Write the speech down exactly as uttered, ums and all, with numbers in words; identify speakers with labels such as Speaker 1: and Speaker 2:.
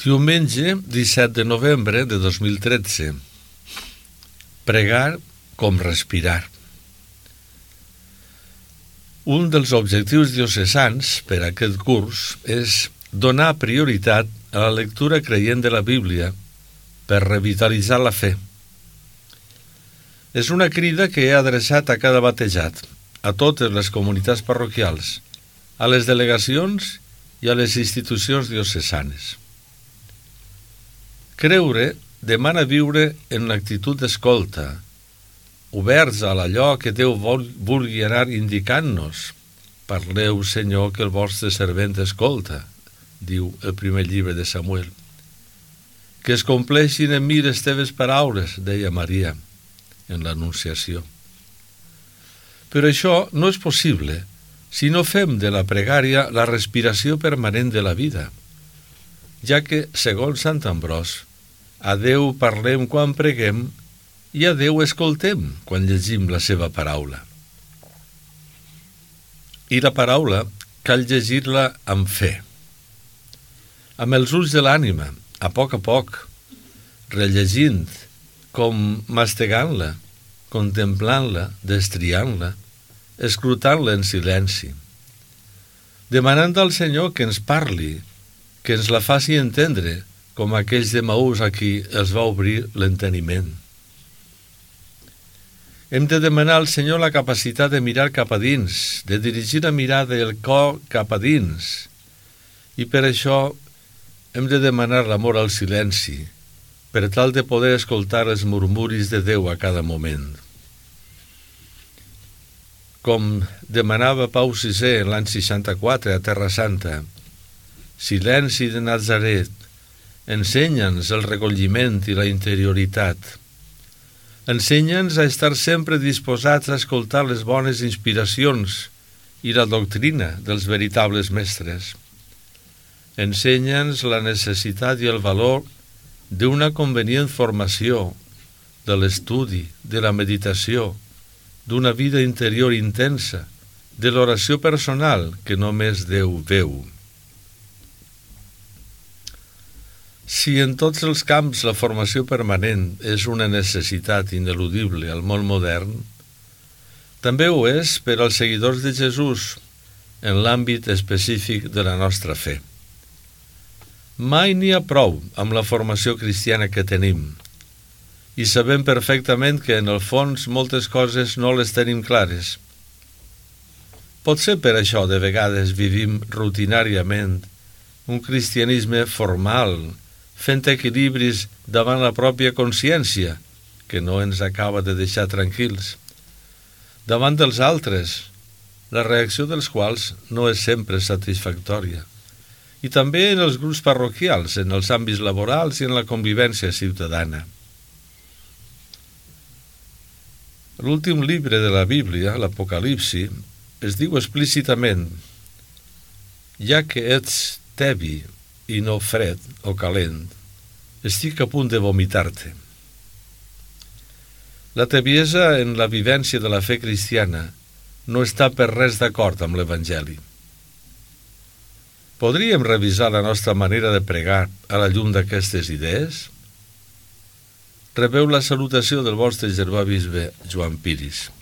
Speaker 1: Diumenge disset de novembre de dos mil tretze. Pregar com respirar. Un dels objectius diocesans per a aquest curs és donar prioritat a la lectura creient de la Bíblia per revitalitzar la fe. És una crida que he adreçat a cada batejat, a totes les comunitats parroquials, a les delegacions i a les institucions diocesanes. Creure demana viure en l'actitud d'escolta, oberts a allò que Déu vulgui anar indicant-nos. Parleu, Senyor, que el vostre servent escolta, diu el primer llibre de Samuel. Que es compleixin en mi les teves paraules, deia Maria en l'Anunciació. Però això no és possible si no fem de la pregària la respiració permanent de la vida, ja que, segons Sant Ambròs, a Déu parlem quan preguem i a Déu escoltem quan llegim la seva paraula. I la paraula cal llegir-la amb fe, amb els ulls de l'ànima, a poc a poc, rellegint, com mastegant-la, contemplant-la, destriant-la, escrutant-la en silenci, demanant al Senyor que ens parli, que ens la faci entendre, com aquells de Maús a qui els va obrir l'enteniment. Hem de demanar al Senyor la capacitat de mirar cap a dins, de dirigir la mirada i el cor cap a dins, i per això hem de demanar l'amor al silenci, per tal de poder escoltar els murmuris de Déu a cada moment. Com demanava Pau sisè l'any seixanta-quatre a Terra Santa, silenci de Nazaret, ensenya'ns el recolliment i la interioritat. Ensenya'ns a estar sempre disposats a escoltar les bones inspiracions i la doctrina dels veritables mestres. Ensenya'ns la necessitat i el valor d'una convenient formació, de l'estudi, de la meditació, d'una vida interior intensa, de l'oració personal que només Déu veu. Si en tots els camps la formació permanent és una necessitat ineludible al món modern, també ho és per als seguidors de Jesús en l'àmbit específic de la nostra fe. Mai n'hi ha prou amb la formació cristiana que tenim, i sabem perfectament que en el fons moltes coses no les tenim clares. Potser per això de vegades vivim rutinàriament un cristianisme formal, fent equilibris davant la pròpia consciència, que no ens acaba de deixar tranquils, davant dels altres, la reacció dels quals no és sempre satisfactòria, i també en els grups parroquials, en els àmbits laborals i en la convivència ciutadana. L'últim llibre de la Bíblia, l'Apocalipsi, es diu explícitament: ja que ets tebi i no fred o calent, estic a punt de vomitar-te. La tebiesa en la vivència de la fe cristiana no està per res d'acord amb l'Evangeli. Podríem revisar la nostra manera de pregar a la llum d'aquestes idees? Rebeu la salutació del vostre germà bisbe Joan Piris.